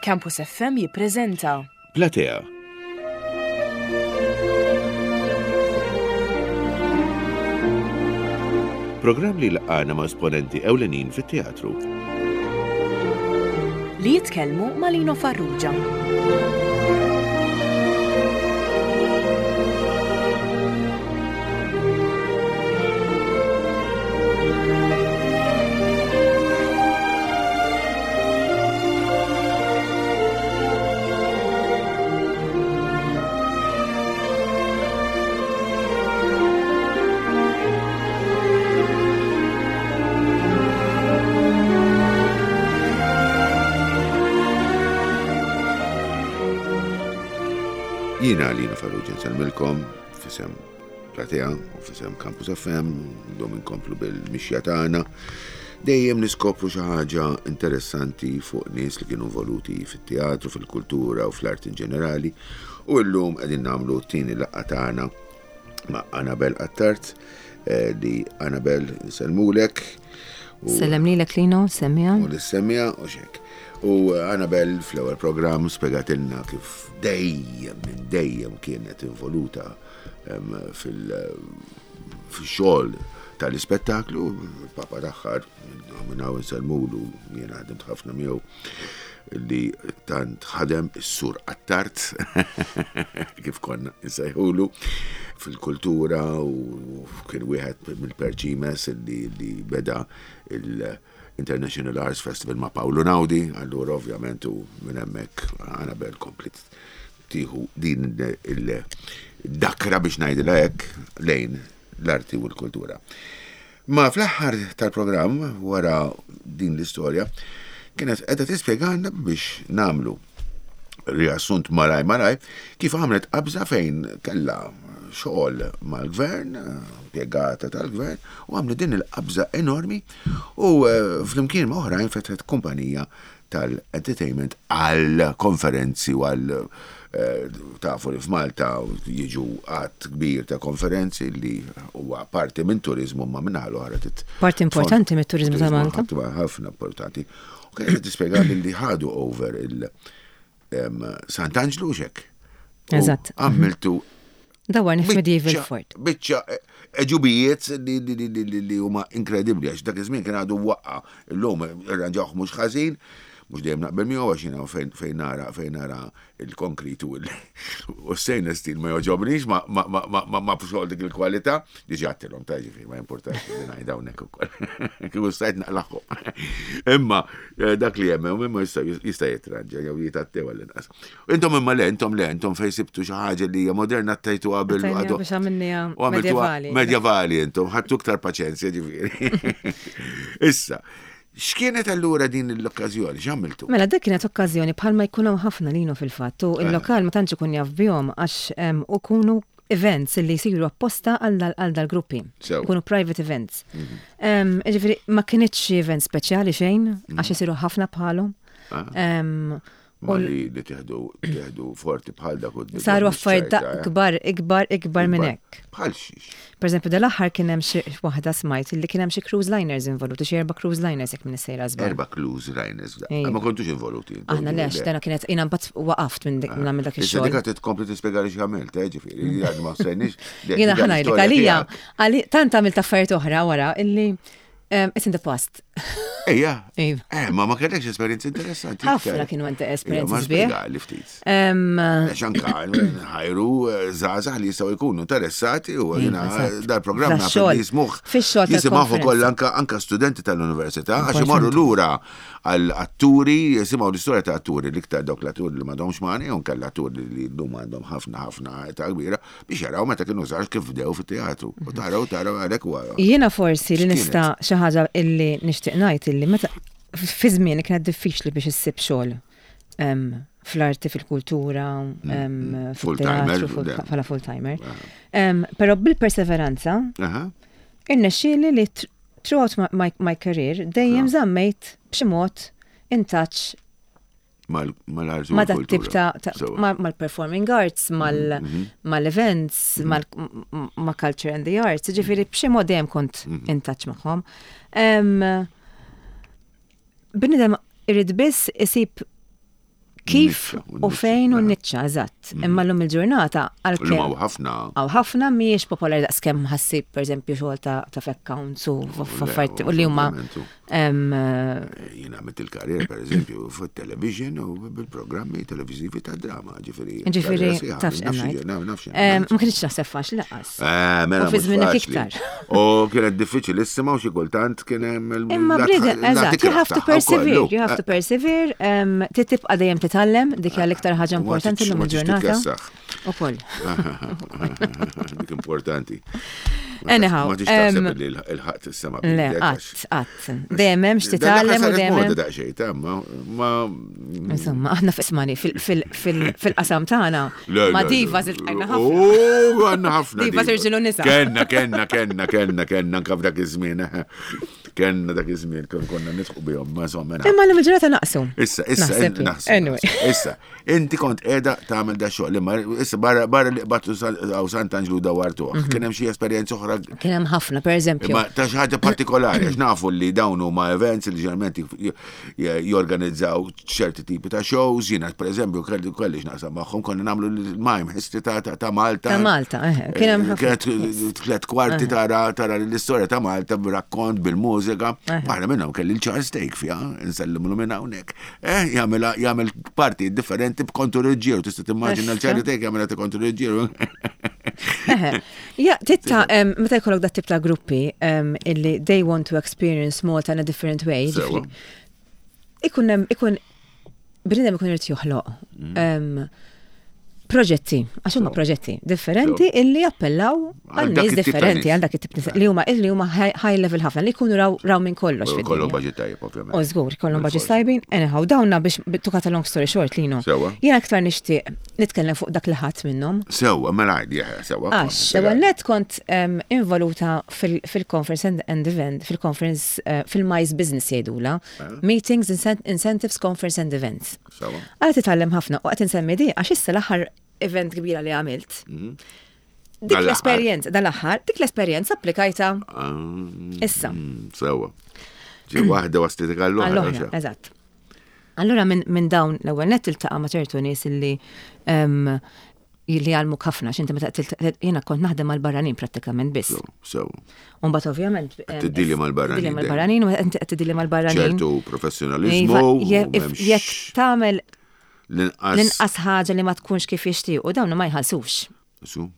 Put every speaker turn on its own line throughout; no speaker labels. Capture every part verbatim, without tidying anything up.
Campus F M jippreżenta
Platea. Programm li jlaqqagħna ma' esponenti ewlenin fit-teatru.
Li jitkellmu ma' Lino Farrugia.
Jiena Lino Farrugia nsellmilkom f'isem Platea u f'isem Campus F M, dom inkomplu bil-mixja tagħna. Dejjem niskopru xi ħaġa interessanti fuq nies li kienu involuti fit-teatru, fil-kultura u fl-art in ġenerali. U llum qegħdin nagħmlu t-tieni laqgħa tagħna ma' Annabel Attard, eh, li Annabel nsellmulek. U-
Sellem lilek, Lino, semmija.
U l-semmija u xek. U Annabel fl-ewwel programm spjegatilna kif dejjem minn dejjem kienet involuta em, fil- fil-xogħol tal-ispettaklu, il-papa tagħha minn hawn insellmulu, jiena ħdimt ħafna miegħu, li tant ħadem, is-sur Attard, kif konna nsejħulu, fil-kultura u kien wieħed mill-perċimes li, li beda il-International Arts Festival ma' Paolo Naudi. Allura ovvjament u minn hemmhekk Annabel komplet tieħu din il-dakra, biex ngħidilha hekk, lejn l-arti u l-kultura. Ma fl-aħħar tal-programm, wara din l-istorja, kienet qiegħda tispjegana, biex nagħmlu riassunt malaj malaj, kif għamlet qabża fejn kella xogħol mal-gvern, impjegata tal-gvern, u għamlet din il-qabża enormi u eh, flimkien ma' oħrajn fetħet kumpanija tal-entertainment għal konferenzi u għal eh, tafu li f'Malta jiġu għadd kbir ta' konferenzi li huwa parti minn turizmu, ma minna l-oħra tit
Parti importanti mit-turizmu ta' Malta.
Ħafna ħafna importanti. U kienet tispjega li ħadu over il em, Sant'Anġlu xek. U
Eżatt.
għamiltu
Dawar medieval
biċċa-
fort.
Biċċa eh, eġubijiet li, li, li, li, li, li huma inkredibbli, għax dak iż-żmien kien għadu waqqa. Illum irranġawh mhux ħażin, mhux dejjem naqbel miegħu, għax jiena fejn fejn nara fejn nara il-konkrit u l- u stainless steel ma joġobnix, ma ma ma ma ma ma xogħol dik il-kwalità, diġà għedtilhom ta' ġifieri ma importax li ngħid hawnhekk ukoll. Kieku stajt naqlaħħom. Imma eh, dak li hemm imma jista' jista' jitranġa jew jitattew għall-inqas. Intom imma le, intom le, intom fejn sibtu xi ħaġa li hija moderna tajtu qabel
Tajnija
għadu-
biex għamilniha
u għamiltuha
medjevali.
Medjevali intom, ħadtu iktar paċenzja ġifieri. Issa, x'kienet allura din l-okkażjoni? X'għamiltu?
Mela, dik kienet okkażjoni bħalma jkun hawn ħafna, Lino, fil-fatt, u il-lokal ma tantx ikun jaf bihom għax em, u kunu events li jsiru apposta għal dal- għal dal-gruppi.
Sew.
Ikunu private events. Em, Ġifieri ma kienitx xi event speċjali xejn, għax isiru ħafna bħalhom.
Ah.
Em,
Ma li li tieħdu tieħdu forti bħal dak u
Saru affarijiet da- kbar, ikbar, ikbar minn hekk.
Bħal xiex.
Per eżempju, dal-aħħar kien hemm xi waħda smajt li kien hemm xi cruise liners involuti, xi erba' cruise liners jekk minn sejra żball.
Erba' cruise liners.
Ejja.
Ma kontux involuti. intom,
Aħna le, għax dana kienet jiena mbagħad waqaft minn dik minn nagħmel dak
Issa
ix-xogħol.
dik qed tkompli tispjega li x'għamilt, eh, ġifieri, għad ma sejniex.
Jiena ħa ngħidlek għalija, għali tant għamilt affarijiet oħra wara illi um, it's in the past.
Ejja.
Iva.
Eh, ma ma kellekx esperjenzi interessanti.
Ħafna kienu għandi esperjenzi
Ma
sbieħ.
spjegali ftit.
Um,
Għax anka ħajru żgħażagħ li jistgħu jkunu interessati u jiena
eżatt.
dal-programm naf
Fix-xogħol.
li jismuh.
Fix-xogħol
Jisimgħu
tal-konferenza.
ukoll anka anka studenti tal-università, għax imorru lura għal atturi, jisimgħu l-istorja ta' atturi, l-iktar dawk l-atturi li m'għadhomx magħna jew nkella atturi li llum għandhom ħafna ħafna età kbira, biex jaraw meta kienu żgħar kif bdew fit-teatru. U taraw taraw għalhekk huwa.
Jiena forsi li
X'kienet?
nista' xi ħaġa illi nixtieq ngħid illi meta fi żmien kienet diffiċli biex issib xogħol em, fl-arti, fil-kultura, em,
Full-timer,
fil-teatru, full-
le.
bħala full-timer. Em, Però bil-perseveranza
Aha.
irnexxieli li tr- throughout my, my, my career dejjem żammejt b'xi mod in touch
Mal- Mal-arti u
ma dat tip
l-kultura.
ta' ta'
Sewa.
ma- mal-performing arts, mal- mal-events, mal- m- ma' culture and the arts, ġifieri b'xi mod dejjem kont in touch magħhom. Em, Bniedem irid biss isib Kif
Niċċa,
u fejn u
niċċa.
niċċa, eżatt. Imma l-lum il-ġurnata
Illum
għalkemm
hawn ħafna.
Għaw ħafna mhijiex popolari daqskemm ħassib pereżempju xogħol ta' ta' accounts u f'affarijiet u li huma
ovvjament, u-
em, eh,
Jien għamilt il-karriera, per eżempju, fuq television u bil-programmi televizivi ta' drama, ġifieri.
Ġifieri,
karriera sħiħa,
tafx
nafx
ngħid.
naf- nafx
em, ma kienx naħseb faċli lanqas.
Eh, mela,
U fi
mhux
żmienek
faċli.
iktar.
U kienet diffiċilissima u xi kultant kien hemm il-
Imma
la
bniedem,
tħ- la
eżatt, you
tikrah
have to
tagħha
persevere,
wkoll,
you have to persevere, em, trid tibqa' dejjem titgħallem, dik hija l-iktar ħaġa
U ma
importanti
tix-
llum
ma tix
il-ġurnata.
titkessaħ.
Ukoll.
Dik importanti.
Anyhow,
Ma tix taħseb
em,
li l-ħaqt is-sema.
Le, qatt, qatt. Dejjem hemm x'titgħallem u dejjem hemm.
Daqsxejn, ta' ma ma
Insomma, aħna f'ismani fil-qasam tagħna
Le,
ma
le,
diva
le.
ziltqajna ħafna.
U għandna ħafna.
Divas irġiel u nisa.
Kenna, kenna, kenna, kenna, kenna, anka f'dak iż-żmien. eh. Kenna dak iż-żmien kon konna nidħu bihom, ma insomma. naf.
Imma l-lum il-ġurnata naqsu.
Issa, issa,
Naħseb jien.
naħseb.
Anyway.
naħseb. Issa, inti kont qiegħda tagħmel da xogħol, imma issa barra barra li qbadtu għaw Sant'Anġlu dawartuh.
Mhm.
Kien hemm xi esperjenza oħra
Kien hemm ħafna, per eżempju.
Imma ta' xi ħaġa partikolari, għax nafu li dawn huma events li ġeneralment j- j- jorganizzaw ċerti tipi ta' shows, jiena per eżempju kelli kelli x'naqsam magħhom konna nagħmlu l-mime history ta' ta' ta' Malta.
Ta' Malta, eh, kien hemm ħafna.
Kienet tliet kwarti tara tara l-istorja ta' Malta b'rakkont bil-mużika. Waħda minnhom kelli l-Charles Thake fiha, nsellimlu minn hawnhekk. Eh, jagħmel jagħmel parti differenti b'kontu reġġieru, tista' timmaġina l-Charlie Thake jagħmilha ta' kontu reġġieru.
Eħe. Ja, titta, em, meta jkollok dat tip ta' gruppi em, illi they want to experience Malta in a different way,
Sewa.
ġifieri, ikun hemm ikun bniedem ikun irid joħloq
Mm.
em, proġetti, għax huma proġetti differenti illi jappellaw
Għal
għal
dak
nies
it-tip ta'
differenti,
nies.
għal dak it-tip nies li huma illi huma high high level ħafna li jkunu raw raw minn kollox
Kollu
fid-dinja.
budget tajjeb, ovvjament.
U żgur, kollhom budget
Bil-fors.
tajbin. Anyhow, dawna biex to cut a long story short, Lino.
Sewa.
Jiena aktar nixtieq nitkellem fuq dak li ħadd minnhom.
Sewa, mela għidi, eh, sewa.
Għax, l-ewwel net kont um, involuta fil- fil-conference and, and event, fil-conference, uh, fil-MICE business jgħidula, Meetings, Incent Incentives, Conference and Events.
Sewa.
Għala titgħallem ħafna u qed insemmi di għax issa l-aħħar event kbira li għamilt. Dik
Dal-aħħar.
l-esperjenza, dal-aħħar, dik l-esperjenza applikajta
Ah,
issa.
Sewa. Ġi waħda waslitek għall-oħra.
Għall-oħra, eżatt. Allura minn min dawn l-ewwel net tiltaqa' ma' ċertu nies illi em, li għallmuk ħafna, x'inti meta tilta- jiena kont naħdem mal-barranin prattikament biss.
Sewa.
Umbagħad ovvjament. em,
Tiddili mal-barranin
Tiddili
dejjem.
mal-barranin, u inti qed tiddili mal-barranin.
ċertu professjonalizmu.
Iva,
u
je- if-
m'hemmx
Jekk tagħmel
L-inqas.
l-inqas ħaġa li ma tkunx kif jixtiequ, dawn ma jħallsux.
Su,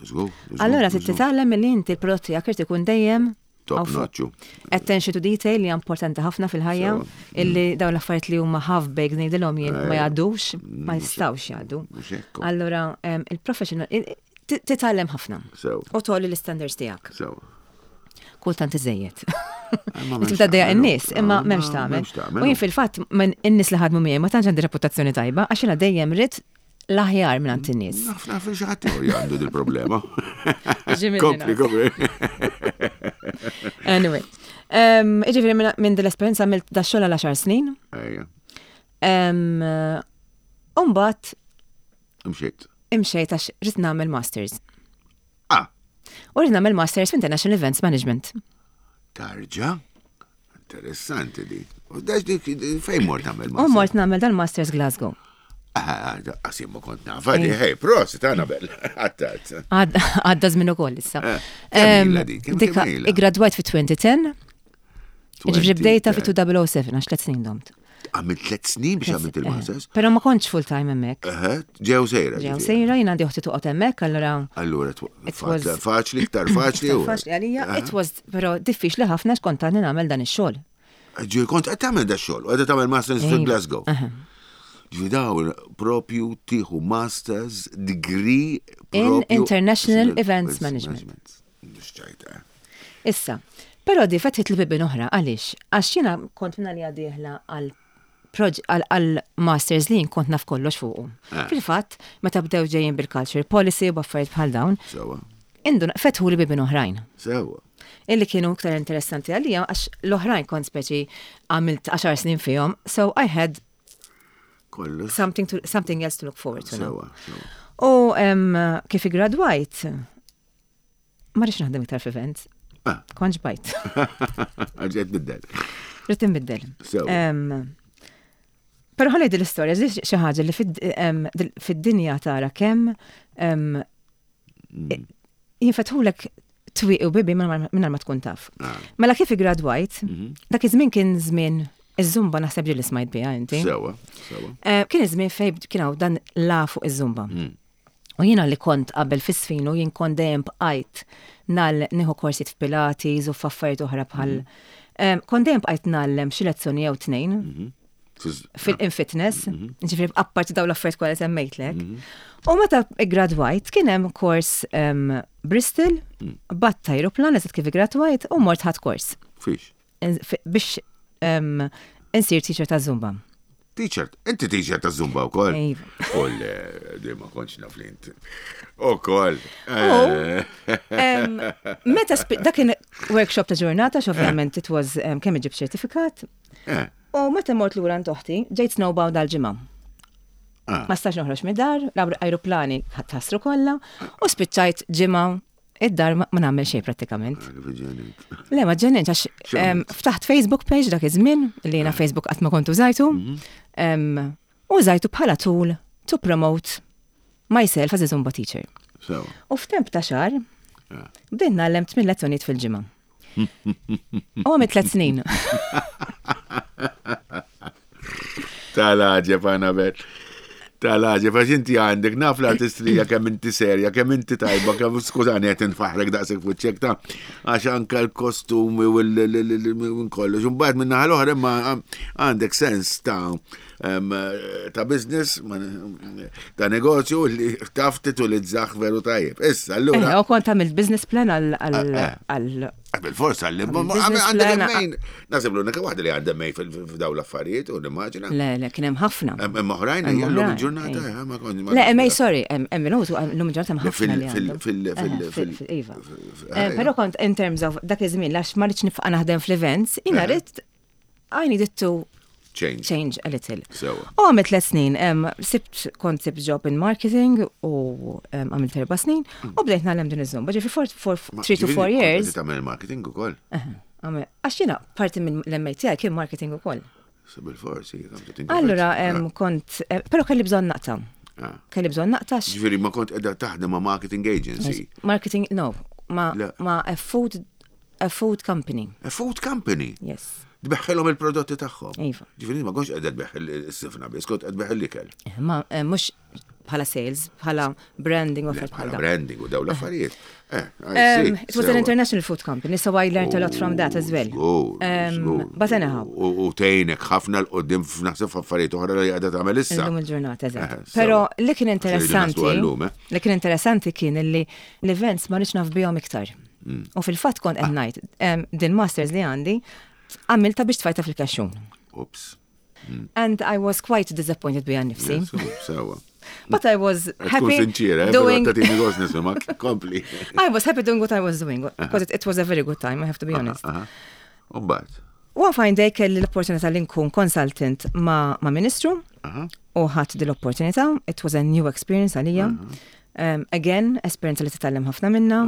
żgur, żgur,
Allura trid
żgur.
titgħallem li inti l-prodott tiegħek irid ikun dejjem
Top
hawn fuq.
notch.
Attention to detail li hija importanti ħafna fil-ħajja,
Sewa.
illi dawn l-affarijiet li huma half baked ngħidilhom jien ma
Ejja.
jgħaddux, ma jistgħux jgħaddu.
Mhux hekk.
Allura em, il-professional il- ti- titgħallem ħafna.
Sewa.
U tgħolli l-standards tiegħek.
Sewa.
Kultant iżejjed.
Ma
Li
m'hemmx
tibda ddejjaq
tagħmel,
in-nies, imma
ah,
m'hemmx
ma
tagħmel.
m'hemmx tagħmel.
U jien fil-fatt minn in-nies li ħadmu miegħi ma tantx għandi reputazzjoni tajba għax jiena dejjem rrid l-aħjar minn għand in-nies.
Naf naf xi ħadd ieħor għandu dil-problema.
Ġimili
Kompli,
naf.
kompli.
Anyway, um, Iġifieri minn minn din l-esperjenza għamilt da xogħol għal għaxar snin.
Ejja,
Um, Umbagħad
imxiet.
imxejt għax rrid nagħmel masters.
Ah,
U rrid nagħmel masters f'International Events Management.
tarġa? Interessanti di. U dax dik fejn mort tagħmel
U mort nagħmel dal-masters Glasgow.
Ah, qasim ma kont nafa di, hey, prosit, Annabel. Għattat.
Għadda għadda żmien ukoll issa.
Eh, kemm ilha
Em,
di? Kemm-
dika-
kemm ilha?
Iggradwajt fi elfejn u għaxra, ġifieri bdejta fi elfejn u sebgħa għax tliet snin domt.
Għamilt tliet snin biex għamilt il-masters?
Però ma kontx full time hemmhekk.
Eħe, ġew sejra.
Ġew
ġifieri.
sejra, jien għandi uħti toqgħod hemmhekk, allura
Allura, tw-
It was-
faċli, iktar faċli. u-
faċli għalija, it was però diffiċli ħafna x'kont għadni nagħmel dan ix-xogħol.
Ġi, kont qed tagħmel da xogħol, u qed tagħmel masters fil
Iva.
Glasgow. Ġi dawn propju tieħu masters degree
In
propju
International Events Management.
Mhux ċajta.
Issa, però di fetħit li bibien oħra, għaliex? Għax jiena kont minna li għadieħla għal proġ- għal għal masters li jien kont naf kollox fuqu.
Eh.
Fil-fatt, meta bdew ġejjin bil-culture policy u b'affarijiet bħal dawn,
Sewa,
indun fetħu li bibien oħrajn.
sewa.
Illi kienu iktar interessanti għalija għax l-oħrajn kont speċi għamilt għaxar snin fihom, so I had
Kollox.
something, to, something else to look forward to now.
Sewa, sewa.
U em, kif igradwajt, ma rridx naħdem iktar f'events,
Ah.
kont ġbajt.
Għalġet biddel.
Rrid inbiddel.
Sewa.
Em, Però ħalli din l-istorja, xi ħaġa li fid-dinja tara kemm mm. jinfetħulek twieqi u bibien mingħajr ma tkun taf. Ah. Mela kif gradwajt, mhm. dak iż-żmien kien żmien iż-Zumba, naħseb ġieli smajt biha inti.
Sewa, sewa.
Eh, kien iż-żmien fejn kien hawn dan la fuq iż-Zumba. Mm. U jiena li kont qabel fis-sfinu jien kont dejjem bqajt nal nieħu korsijiet f'Pilates u f'affarijiet oħra bħal. Mm. Kont dejjem bqajt ngħallem xi lezzjoni jew tnejn. Mhm. Fil-fitness, mhm. ġifieri apparti daw l-affarijiet kollha semmejtlek. Mhm. U meta gradwajt kien hemm kors Bristol, mm. bgħatt ajruplan eżatt kif gradwajt u mort ħadt kors.
Fiex?
Biex insir teacher ta' Zumba.
Teacher, inti teacher ta' Zumba u koll?
Iva.
Koll, di ma kontx naf li inti. U koll.
Meta, dak kien workshop ta' ġurnata, ovvjament it was kemm iġib ċertifikat. Eh. U meta mort lura oħti, ġejt snowbound għal-ġimgħa. Ah. Ma stax noħroġ mid-dar, l-aeroplani tħassru kollha, u spiċċajt ġimgħa id-dar ma nagħmel xejn prattikament. Ah, Le, ma ġennint, għax ftaħt Facebook page dak iż-żmien li jiena ah. Facebook qatt ma kont użajtu. Mhm. U użajtu bħala tool to promote myself as a Zumba teacher. U f'temp ta' xahar, bdejt ngħallem tmien lezzjonijiet fil-ġimgħa. U għamilt tliet snin.
Tal-għaġeb, Annabel. Tal-għaġeb, għax inti għandek naf l-artistrija kemm inti serja, kemm inti tajba, kemm skużani qed nfaħrek daqshekk fuċċek ta' għax anka l-kostumi u l kollox. Imbagħad minn naħa l-oħra imma għandek sens ta' ta' business, ta' negozju li taf titulizzaħ veru tajjeb. Issa, allura.
Eh, u kont għamilt business plan għal eh,
eh. Bil-forsa li għandek mejn. Naħseb l-unika waħda li għandha mejn f'daw l-affarijiet u nimmaġina.
Le, le, kien hemm ħafna.
Hemm oħrajn llum il-ġurnata, ma
kont. Le, MA, sorry, hemm minutu llum il-ġurnata hemm ħafna li
Fil fil
fil Iva. Però kont in terms of dak iż-żmien għax ma rridx nibqa' naħdem fl-events, jiena rrid I needed to
change.
Change a little. U għamilt tliet snin, sibt kont sibt job in marketing u għamilt erba' snin u bdejt nagħlem din iż-Zumba. Ġifieri for, for three to four years.
Tagħmel marketing ukoll?
Għax jiena parti minn l-M A tiegħi kien marketing ukoll.
Bil-forsi.
Allura kont, eh, però kelli bżonn naqta'. Ah. Kelli bżonn naqta'.
Ġifieri ma kont qiegħda taħdem ma' marketing agency.
Marketing, no, ma' ma' a food a food company.
A food company?
Yes.
Tbeħħilhom il-prodotti tagħhom.
Iva.
Ġifieri ma kontx qiegħda tbeħħ is-sifna biss, kont qed tbeħħ l-ikel.
Eh, ma eh, mhux bħala sales, bħala branding u
bħala branding u daw l-affarijiet. Eh,
um, it was an international food company, so I learned a lot from that as well. Um, but anyhow.
U tgħinek ħafna l-qoddim f'naħseb f'affarijiet oħra li qiegħda tagħmel issa.
Illum il-ġurnata, eżatt. Però li kien interessanti, li kien interessanti kien li l-events ma rridx naf bihom iktar. Mm. U fil-fatt kont qed ngħid din masters li għandi għamilta biex tfajta fil-kaxxun.
Oops.
Mm. And I was quite disappointed bija nifsi.
Sewa.
But I was happy
sinċira,
doing...
Kompli.
I was happy doing what I was doing, because it, it was a very good time, I have to be honest.
Umbagħad.
One fine day kelli l-opportunità li nkun consultant ma, ma ministru u ħadt din l-opportunità. It was a new experience għalija. Um, again, esperienza li titgħallem ħafna minna.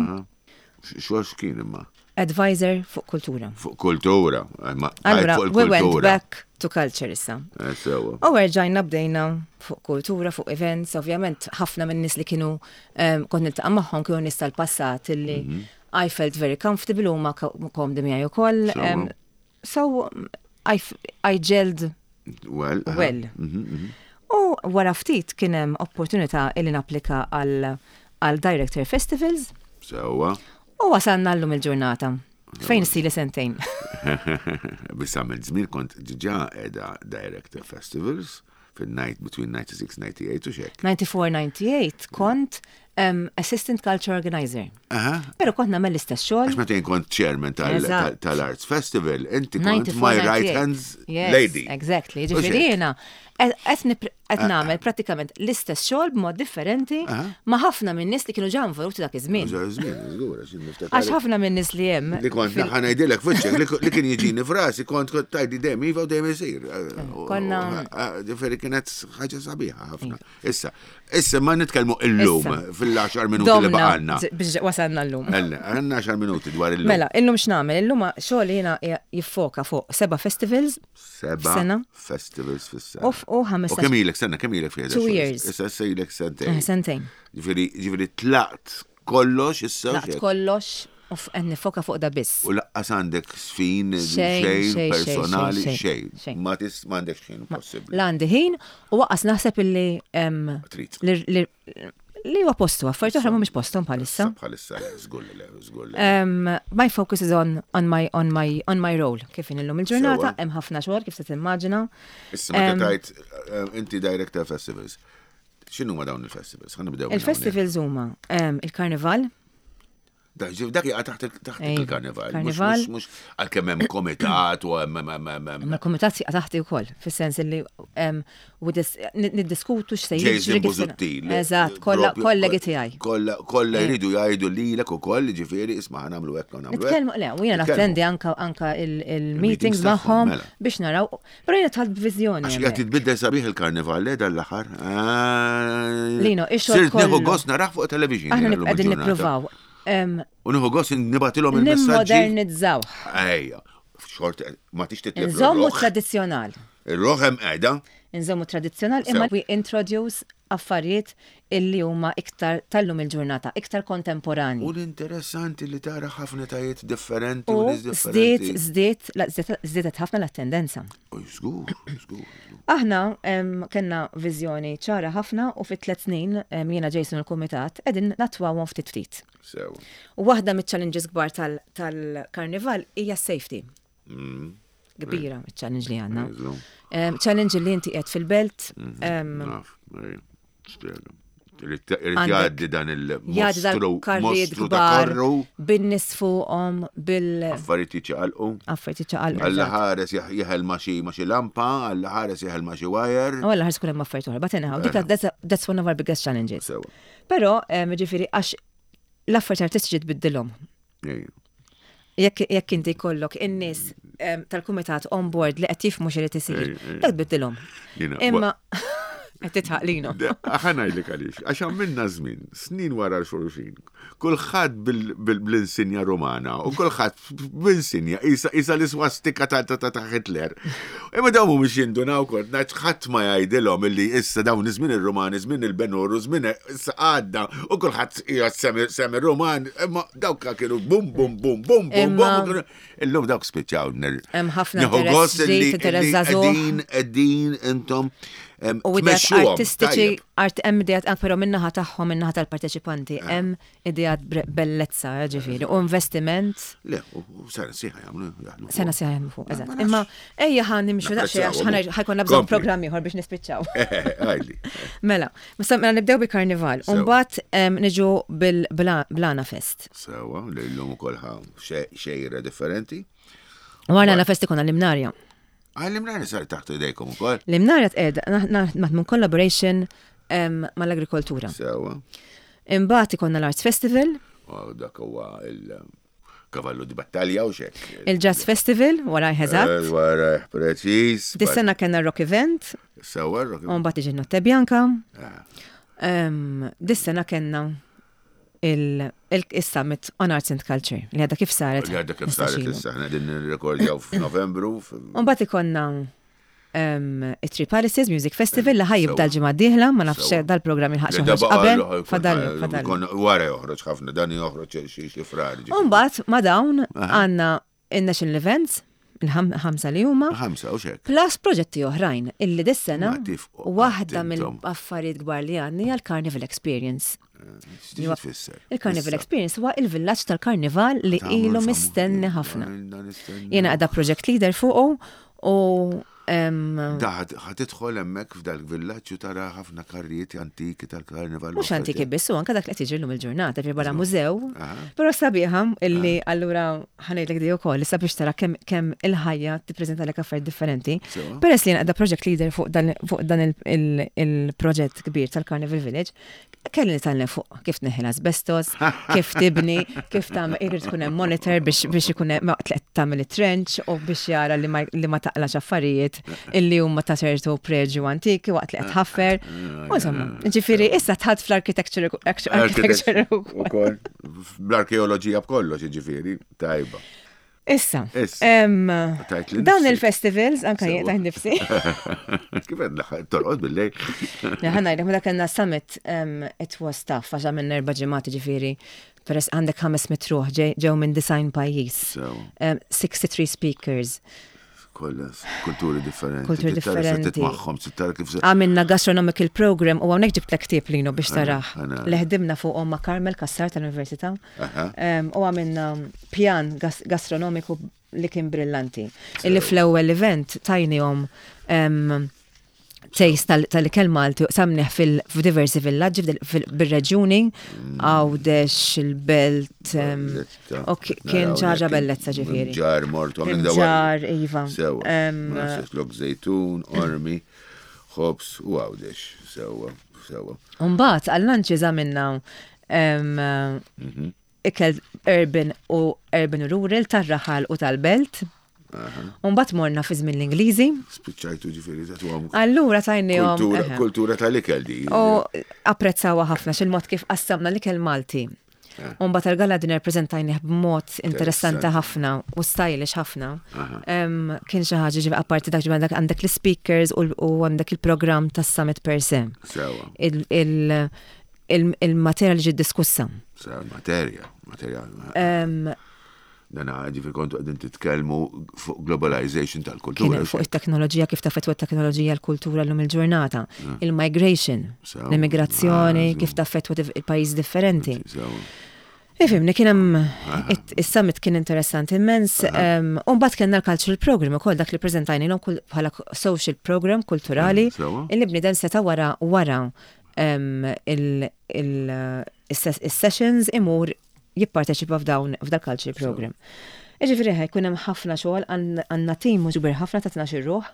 Xogħol x'kien imma?
Advisor fuq kultura.
Fuq kultura.
Allura, we went back to culture issa.
Eh, sewa.
U rġajna bdejna fuq kultura, fuq events, ovvjament ħafna minn nies li kienu kont niltaqa' magħhom kienu nies tal-passat illi mhm. I felt very comfortable u ma komdi miegħi ukoll. So I, I gelled
well.
well.
Mhm, mhm.
U wara ftit kien hemm opportunità illi napplika għal għal Director Festivals.
Sewa.
U wasalna llum il-ġurnata. Fejn sili sentejn.
Biss għamilt żmien kont diġà qiegħda Director Festivals fil-night between ninety-six ninety-eight u xek.
ninety-four ninety-eight kont um, Assistant Culture Organizer. Pero kont nagħmel l-istess xogħol.
Għax meta jien kont chairman tal-Arts Festival, inti kont my right hand lady.
Exactly. Ġifieri jiena qed nagħmel prattikament l-istess xogħol b'mod differenti ma' ħafna minn nies li kienu ġa involuti dak iż-żmien. Għax ħafna minn nies li hemm.
Li kont ħa ngħidilek f'wiċċek li kien jiġini f'rasi kont tajdi dejjem iva u dejjem isir.
Konna
Ġifieri kienet ħaġa sabiħa ħafna. Issa, Issa ma nitkellmu illum fil-għaxar minuti li
Domna
baqgħalna.
biex wasalna llum.
Ella, għandna għaxar minuti dwar illum.
Mela, illum x'nagħmel? Illum xogħol jiena jiffoka fuq seba' festivals
Seba'
sena.
festivals fis-sena.
u f- u
U
ħamestax
kemm ilek sena, kemm ilek fiha?
Two years.
Issa issa ilek sentejn.
eh, sentejn.
Ġifieri ġifieri tlaqt kollox issa.
Tlaqt
xek.
kollox u f- qed nifoka fuq da biss.
U lanqas għandek sfin,
Xejn,
xejn,
xejn,
personali,
xejn,
xejn.
xejn.
Ma tis m'għandek xejn possibbli.
La għandi ħin u lanqas naħseb illi em,
Trid.
li- li li huwa postu, affarijiet oħra mhumiex posthom bħalissa.
Bħalissa, le, żgur li le, żgur li.
Um, my focus is on, on, my, on, my, on my role. Kif in illum il-ġurnata,
Sewwa.
hemm ħafna xogħol kif se timmaġina.
Issa meta tajt eh, inti director festivals. X'inhu ma dawn il-festivals? Ħa nibdew. minn hawnhekk.
Il-festivals huma um, il-karnival,
Da, ġif, dak jaqa' taħt il- taħt
Ejja,
il-karnival. Mhux-
karnival.
Mhux mhux għalkemm hemm komitat u hemm hemm hemm hemm.
ma l-kumitat jaqa' taħti wkoll, fis-sens li um, u dis- niddiskutu x'se jiġri.
Jason
kif se-
Busuttil.
Eżatt, kollha
Propju-
kollegi tiegħi.
Kollha kollha jridu jgħidu lilek ukoll, ġifieri isma' ħa nagħmlu hekk u nagħmlu hekk.
Nitkellmu, le, u jiena
Nitkellmu.
nattendi anka anka il-meetings
Il-meetings tagħhom,
magħhom
mela.
biex naraw, però jiena dħalt b'viżjoni.
Għax
hemmhekk.
qed titbiddel sabiħ il-karnival le dal-aħħar. Ah,
Lino, ix-xogħol
Sirt nieħu
kollu.
gost narah fuq television.
Aħna
jiena llum
qegħdin
il-ġurnata.
nippruvaw. em,
U nieħu gost nibgħatilhom il-messaġġi.
Nimmodernizzaw.
Ejja, xort ma tix titlef
Nżommu
ir-roħ.
tradizzjonal.
Ir-roħ hemm qiegħda.
Nżommu tradizzjonal imma
Sew.
we introduce affarijiet illi huma iktar tal-lum il-ġurnata, iktar kontemporani.
U l-interessanti li tara ħafna tajiet differenti u
U
nies
żdiet,
differenti.
żdiet, la- żdiet- żdietet ħafna l-attendenza.
U żgur, żgur.
Aħna em, kellna viżjoni ċara ħafna u fit tliet snin em, jiena Jason u l-kumitat qegħdin natwawhom ftit ftit.
Sew.
U waħda mit-challenges kbar tal- tal-karnival hija safety.
Mm.
Kbira challenge li għandna.
Eżatt.
Em, Challenge li inti qiegħed fil-belt, em,
Naf, ej, spjega. Irid irid
Għandek-
jgħaddi dan
jgħaddi
il-mostru
dal-karrijiet
mostru ta'
kbar,
karru,
bin-nies fuqhom, bil
affarijiet jiċċaqalqu.
affarijiet jiċċaqalqu.
Alla
eżatt.
ħares jaħ- jeħel ma xi ma xi lampa, alla ħares jeħel ma xi wire.
U għalla ħares kull hemm affarijiet oħra, but anyhow, dik that's, that's one of our biggest challenges.
Sewa.
Però, em, ġifieri, għax l-affarijiet artistiċi tbiddilhom.
Ej.
Jekk jekk inti jkollok in-nies em, tal-kumitat on board li qed jifhmu x'irid isir,
Ej, ej.
dak tbiddilhom.
Jiena,
Imma qed titħaq lino.
Ħa ngħidlek għaliex, għax għamilna żmien, snin wara l-xulxin, kulħadd bil- bil- bl-insinja Romana u kulħadd bl-insinja isa isa l-iswastika ta' ta' ta' ta' Hitler. Imma dawn mhumiex jindunaw kont ngħid ħadd ma jgħidilhom illi issa dawn żmien ir-Romani, żmien il-Benur, żmien issa għadda u kulħadd qiegħed semi semi Roman, imma dawk kienu bum bum bum bum bum
Imma-
bum. Illum dawk spiċċaw.
Hemm ħafna
Nieħu
interess
gost illi-
ġdid, interess
illi
żagħżugħ.
qegħdin qegħdin intom em,
U ideat
tmexxuhom,
artistiċi,
tajjeb.
art hemm ideat anke però min-naħa tagħhom, min-naħa tal-parteċipanti,
Eh.
hemm ideat bre- bellezza, ġifieri, u investiment.
Le, u u sena sħiħa jagħmlu jaħdmu.
Sena sħiħa jaħdmu fuq, eżatt.
ma nafx.
Imma ejja ħa nimxu daqsxejn għax
Napprezzawhom.
ħa jkollna bżonn
Kompli.
programm ieħor biex nispiċċaw.
Għajli.
Mela, mela mela nibdew bil-karnival.
Sewa.
U mbagħad em, niġu bil-Blana Fest.
Sewa, li l-lum ukoll ħa xe- xejra differenti.
Wara l-Għana Fest ikun l-Imnarja.
Għal l-Imnarja sar taħt idejkom ukoll.
L-Imnarja tqed naħdmu collaboration em, mal-agrikoltura.
Sewa.
Imbagħad ikonna l-Arts Festival,
U dak huwa il-kavallu di battalja u xek.
il-Jazz Festival, wara eżatt.
Wara, preċis.
Dis-sena kellna Rock Event,
Sewa, rock.
u mbagħad iġi Notte Bianca.
Ah,
Em, Dis-sena kellna il-Summit on Arts and Culture, li għadha kif saret.
Li għadha kif saret
ħmistax ilu.
issa, ħna din nirrekordjaw f'Novembru. f-
U mbagħad ikonna um, it-Three Palaces Music Festival li ħa jibda
Sewa.
l-ġimgħa d-dieħla, ma nafx
Sewa.
dal-programm il-ħaq
Li da
joħroġ
baqa'
qabel,
l-
fadallu,
jkun-
fadallu.
jkun Wara joħroġ ħafna, dan joħroġ xi xi frar. ġifieri.
U mbagħad ma dawn għandna il-National Events, il-ħamsa li huma,
Ħamsa u xek.
plus proġetti oħrajn illi dis-sena
Ma tifqu
waħda
qatt intom.
mill-affarijiet kbar li għandna hija l-Carnival Experience.
X'tiġi tfisser?
Il-Carnival
Issa.
Experience huwa il-villaġġ tal-Karnival li
Tagħmlu
ilu
l-famu-
mistenni ħafna.
Ilna nistenni.
Jiena għadha project leader fuqu u em,
Da ħa tidħol hemmhekk f'dal-villaġġ u tara ħafna karrijiet antiki tal-karnival.
mhux antiki biss, u anke dak li qed jiġri llum il-ġurnata, ġifieri barra mużew.
Aha.
Però sabiħa illi allura ħa ngħidlek di wkoll issa biex tara kemm kemm il-ħajja tippreżentalek affarijiet differenti.
Sewa.
Peress li jiena qiegħda project leader fuq dan fuq dan il- il- il-proġett kbir tal-Carnival Village, kelli nitgħallem fuq kif tneħħi l-asbestos, kif tibni, kif tagħmel irid tkun hemm monitor biex biex ikun hemm ma tagħmel it-trench u biex jara li ma, li ma taqlax affarijiet illi huma ta' ċertu preġju antiki waqt li qed ħaffer. U insomma, ġifieri issa dħalt fl-architecture architecture ukoll.
Ukoll. Bl-arkeoloġija b'kollox, ġifieri, tajba.
Issa,
Issa.
em,
Tajt li
dawn
nifsi.
il-festivals, anka jien
Sewa.
tajt nifsi.
Kif qed torqod bil-lejl?
Ħa ngħidlek, meta kellna summit, um, it was tough, għax għamilna erba' ġimgħat ġifieri, peress għandek ħames mitt ruħ ġew minn disgħin pajjiż.
Sewa.
Um, sixty-three speakers.
Kollha kulturi differenti.
Kulturi
Trid tara se
differenti.
titmagħhom, trid tara kif se.
Għamilna gastronomical program u hawnhekk ġibt ktieb Lino biex tarah.
Għana.
Li ħdimna fuqhom ma' Carmel Cassar tal-Università.
Aha.
Um, u għamilna pjan gas gastronomiku li kien brillanti. Illi fl-ewwel event tajnihom um, taste tal- tal-ikel Malti samniħ fil-diversi villaġġi fil- fil- bil-reġjuni, Għawdex, il-Belt, um,
Bellezza.
u ki- kien
Naraw
ħaġa
hekk
bellezza ġifieri.
Ġar mortu. għamilna dawn-
Ġar, Iva.
Sewa.
Em,
Ma nafx lok Żejtun, Qormi, ħobs u Għawdex. Sewa, sewa.
Umbagħad, għal-lunches għamilna um,
Mhm.
ikel urban u urban u rural tar-raħal u tal-belt. Umbagħad morna fi żmien l-Ingliżi.
Spiċċajtu ġifieri ta' tuħam.
Allura tajnihom.
Kultura,
eħe.
kultura tal-ikel di.
U apprezzawa ħafna xil-mod kif qassamna l-ikel Malti. Umbagħad tal-gala dinner prezentajnih b'mod interessanti
Interessanti.
ħafna u stylish ħafna. Em, Kien xi ħaġa ġifi apparti dak ġifi għandek għandek l-speakers u u għandek il-programm tas-summit per se.
Sewa.
Il- il- il- Il-materja li ġiet diskussa.
Sewa, materja. Materja.
Em,
Dana ġifieri kontu qegħdin titkellmu fuq globalization tal-kultura.
Kien fuq it-teknoloġija, kif taffettwa t-teknoloġija l-kultura l-lum il-ġurnata, il-migration,
Sewa.
l-immigrazzjoni,
Ah,
kif taffettwa dif- il-pajjiż differenti.
Sewa.
Ifhimni, kien hemm it- is-summit kien interessanti immens. em, U mbagħad kellna l-cultural program ukoll dak li preżentajnilhom kull- bħala social program kulturali
Sewa.
illi bniedem seta' wara wara em, il- il- is-sessions imur jipparteċipa f'dawn f'dal cultural program. Iġifieri ħa jkun hemm ħafna xogħol għandna għandna tim mhux kbir ħafna ta' tnax ruħ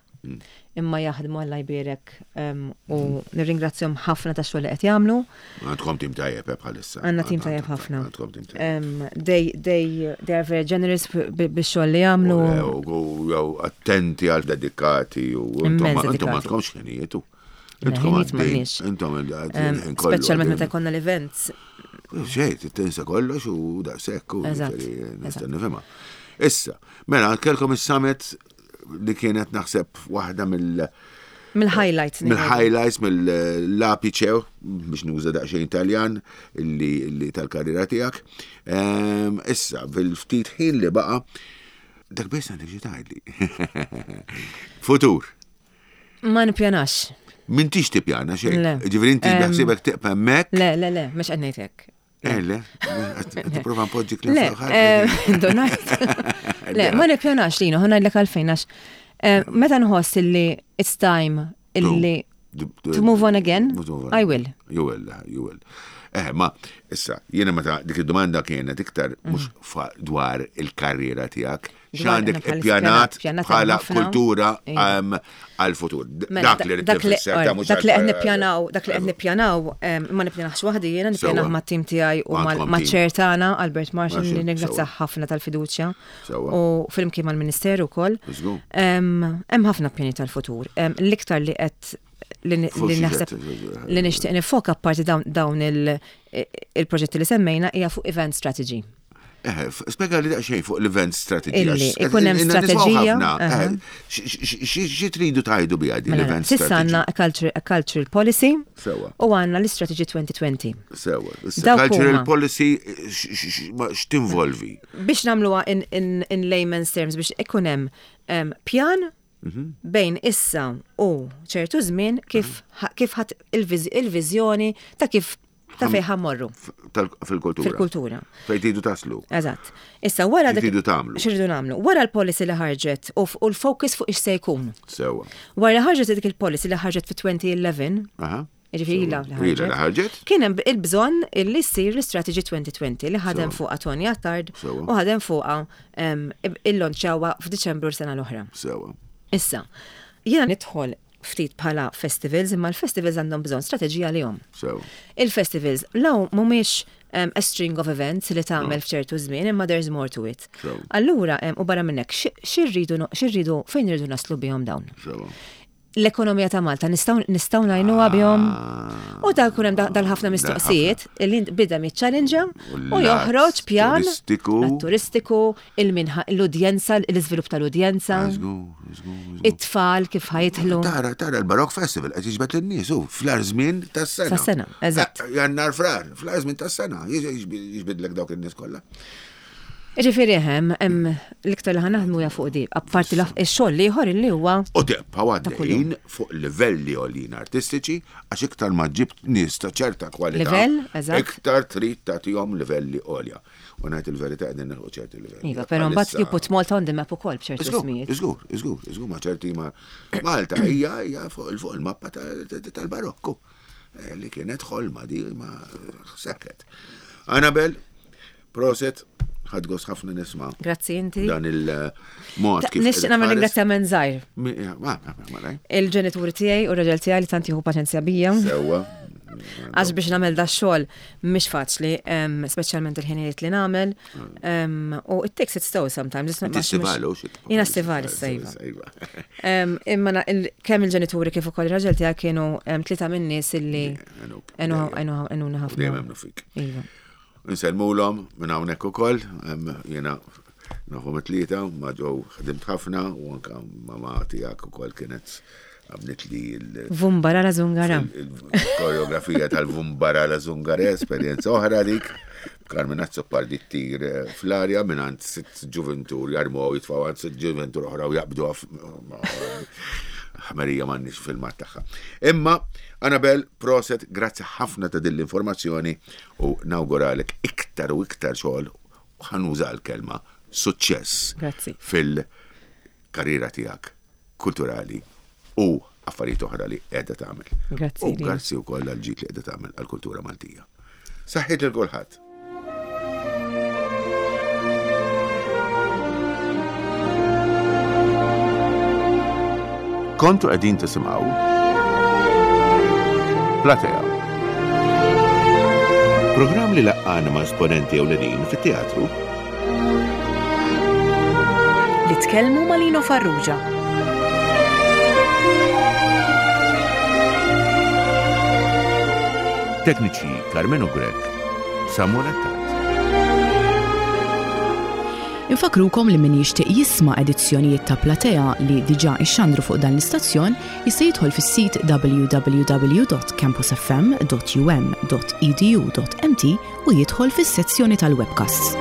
imma jaħdmu Alla jbierek em, u nirringrazzjahom ħafna tax-xogħol li qed jagħmlu.
Għandkom tim tajjeb eh, bħalissa.
Għandna tim tajjeb ħafna.
Għandkom tim tajjeb.
Um, they, they, they are very generous b- bix-xogħol li jagħmlu.
U u- jew attenti għal dedikati u intom
Immens
intom
dedikati.
għandkomx ħinijiet u.
Le,
Intom
ħinijiet
għaddejn-
m'għandniex.
Intom
Um,
il-ħin kollu.
Speċjalment meta
għaddejn.
jkollna l-events.
Xejn, tinsa kollox u daqshekk u
Eżatt,
ġifieri nista'
eżatt.
nifhimha. Issa, mela kellkom is-summit li kienet naħseb waħda mill-
Mill-highlights.
mill-highlights, mill-apice, biex nuża daqsxejn Italjan, illi, illi tal-karriera tiegħek. Ehm, Issa, fil-ftit ħin li baqa, dak biss għandek xi tgħidli. Futur.
Ma nippjanax.
M'intix tippjana xejn.
Le.
Ġifieri inti
Em,
beħsiebek tibqa' hemmhekk.
Le, le, le, mhux qed ngħid hekk.
Eh, le, qed tipprova npoġġik
Le, eh, donajt. Le, ma nippjanax Lino, ħa ngħidlek għalfejn għax eh, meta nħoss illi it's time illi to move on again, I will.
You will, you will. Eh, ma, issa, jiena meta dik id-domanda kienet iktar mhux fa- dwar il-karriera tiegħek,
Dwar
x'għandek
aħna bħal
ippjanat
pjanat
bħala
ħafna.
kultura
Iva.
em, għal-futur. D-
Mela,
Dak li rrid
dak li
nifisser, ta' mhux
dak li qed
għal-
nippjanaw, dak li qed nippjanaw, em, ma nippjanax waħdi jiena, nippjanaw
Sewwa.
mat-tim tiegħi u mal-
Għandkom
ma'
team.
chair tagħna Albert Marshall
Marshall,
li nirringrazzjah
sewwa.
ħafna tal-fiduċja.
Sewwa.
U flimkien mal-Ministeru wkoll.
Żgur.
Em, Hemm ħafna pjani tal-futur. Em, L-iktar li qed li li
Fuq xi
naħseb
qed-
li nixtieq nifoka apparti dawn dawn il- il-proġetti li semmejna hija fuq event strategy.
Eh, f- Spjega li daqsxejn fuq l-event strategy.
Illi,
għax
ikun hemm
inna nismgħu
strateġija,
ħafna.
aha.
Eh, x- x- Xi tridu tgħidu biha di
Mela,
l-event
S'issa
strategy?
għandna a culture- a cultural policy
Sewwa.
u għandna l-istrategy twenty twenty.
Sewwa. Issa,
Dawk
cultural
huma.
policy x- x- x- ma- x'tinvolvi?
Biex nagħmluha in, in, in layman's terms, biex ikun hemm em, pjan
Mhm.
bejn issa u ċertu żmien kif ħa- kif ħadd il-viżjoni ta' kif ta' fejn ħa mmorru
F- tal- Fil-kultura.
Fil-kultura.
Fejn tridu taslu.
Eżatt. Issa wara dak-
X'iridu tagħmlu?
X'iridu nagħmlu? Wara l-policy li ħarġet u f- u l-focus fuq ix se jkun.
Sewwa.
Wara ħarġet dik il-policy li ħarġet fi elfejn u għaxra,
Aha.
ġifieri ilha li
Ilha li ħarġet.
kien hemm il-bżonn illi ssir l-Strategy twenty twenty li ħadem
Sewwa.
fuqha Tony Attard
Sewwa.
u ħadem fuqha em, illonċawha f'Diċembru sena l-oħra.
Sewwa.
Issa, jiena nidħol ftit bħala festivals, imma l-festivals għandhom bżonn strateġija li jom.
Sewwa.
Il-festivals law mhumiex um, a string of events li tagħmel f'ċertu żmien, imma there's more to it.
So.
Allura, um, u barra minn hekk, x'irridu x'irridu fejn irridu naslu bihom dawn?
So.
L-ekonomija ta' Malta nistgħu nistgħu ngħinuha bihom.
Ah.
U da jkun hemm da- dal-ħafna mistoqsijiet li bida miċ-challenge u
l-lat
joħroġ pjan
turistiku.
lat turistiku, il-minħa l-udjenza, l-iżvilupp tal-udjenza,
Żgur, żgur, żgur.
it-tfal kif ħa jidħlu.
Tara, tara, l-Baroque Festival qed jiġbed lin-nies u fl-agħar żmien tas-sena.
Tas-sena, eżatt.
Eh, Jannar frar, fl-agħar żmien tas-sena, jiġbidlek dawk in-nies kollha.
Ġifieri hemm hemm l-iktar li ħa naħdmu hija fuq di, apparti la- ix-xogħol l-ieħor illi huwa
U tibqa' għaddejjin
kuljum.
fuq livelli għoljin artistiċi għax iktar ma ġibt nies ta' ċerta kwalità.
Livell, eżatt.
Iktar trid tagħtihom livelli għolja. U ngħid il-verità qegħdin nilħu ċerti livelli.
Iva, però mbagħad
Bħalissa-
you put Malta on the map ukoll b'ċertu
Iżgur,
ismijiet.
iżgur, iżgur, iżgur, ma ċerti ma Malta hija hija fuq fuq il-mappa ta- ta- tal-Barokku eh, li kienet ħolma di ma sekket. Annabel, prosit, ħadt gost ħafna nisma'
Grazzi inti.
dan il-mod kif.
Nixtieq nagħmel ringrazzjament żgħir.
Mi- Ma, ma, ma, ma,
Il-ġenituri tiegħi u r-raġel tiegħi li tant jieħu paċenzja bija.
Sewwa.
Għax biex nagħmel da xogħol mhix faċli, em, speċjalment il-ħinijiet li nagħmel. em, U it takes its toll sometimes. It's not
Inti
mhux-
stivali, u xi-
Jiena stivali issa, iva.
Iva.
Em, Imma na- il- kemm il-ġenituri kif ukoll ir-raġel tiegħi kienu em, tlieta min-nies illi
Għenuk,
għenu
dejjem.
għenuna ħafna.
Dejjem emmnu fik.
Iva.
Nsellmulhom minn hawnhekk ukoll, em, jiena nafhom it-tlieta, ma ġew ħdimt ħafna u anka mama tiegħek ukoll kienet għamlet li l-
Vumbara la zungara.
il-koreografija tal-Vumbara la Zungare, esperjenza oħra dik. Carmen Azzopardi ttir eh, fl-arja minn għand sitt ġuventur jarmu u jitfaw għand sitt ġuventur oħra u jaqbdu għaf. Ħmerija m'għandniex filmat tagħha. Imma, Annabel, prosit, grazzi ħafna ta' din l-informazzjoni u nawguralek iktar u iktar xogħol u ħa nuża l-kelma suċċess
Grazzi.
fil-karriera tiegħek kulturali u affarijiet oħra li qiegħda tagħmel.
Grazzi,
U
Lina.
grazzi wkoll għal ġid li qiegħda tagħmel għall-kultura Maltija. Saħħiet lil kulħadd.
Kontu qegħdin tisimgħu Platea.
Programm li laqqana ma' esponenti ewlenin fit-teatru
Li tkellmu ma' Lino Farrugia.
Tekniċi Carmenu Grech, Samuel Attard.
Infakrukom li min jixtieq jisma' edizzjonijiet ta' Platea li diġà ixxandru fuq dan l-istazzjon jista' jidħol fis-sit w w w dot campusfm dot u m dot e d u dot m t u jidħol fis-sezzjoni tal-webcasts.